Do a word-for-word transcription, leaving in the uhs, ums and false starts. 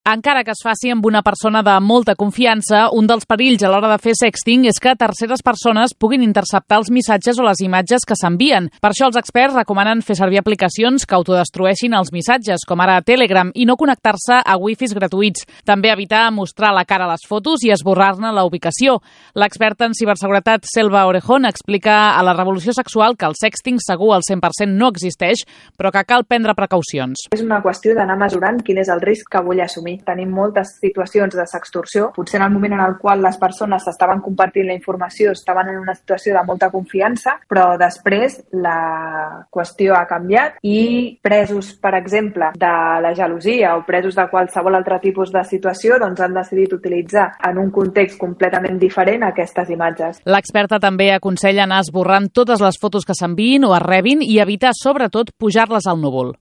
Encara que es faci amb una persona de molta confiança, un dels perills a l'hora de fer sexting és que terceres persones puguin interceptar els missatges o les imatges que s'envien. Per això els experts recomanen fer servir aplicacions que autodestrueixin els missatges, com ara Telegram, i no connectar-se a wifis gratuïts. També evitar mostrar la cara a les fotos i esborrar-ne la ubicació. L'experta en ciberseguretat Selva Orejón explica a La Revolució Sexual que el sexting segur al cent per cent no existeix, però que cal prendre precaucions. És una qüestió d'anar mesurant quin és el risc que vull assumir. Tenim moltes situacions de sextorsió. Potser en el moment en el qual les persones s'estaven compartint la informació estaven en una situació de molta confiança, però després la qüestió ha canviat i presos, per exemple, de la gelosia o presos de qualsevol altre tipus de situació, doncs han decidit utilitzar en un context completament diferent aquestes imatges. L'experta també aconsella anar esborrant totes les fotos que s'enviïn o es rebin i evitar, sobretot, pujar-les al núvol.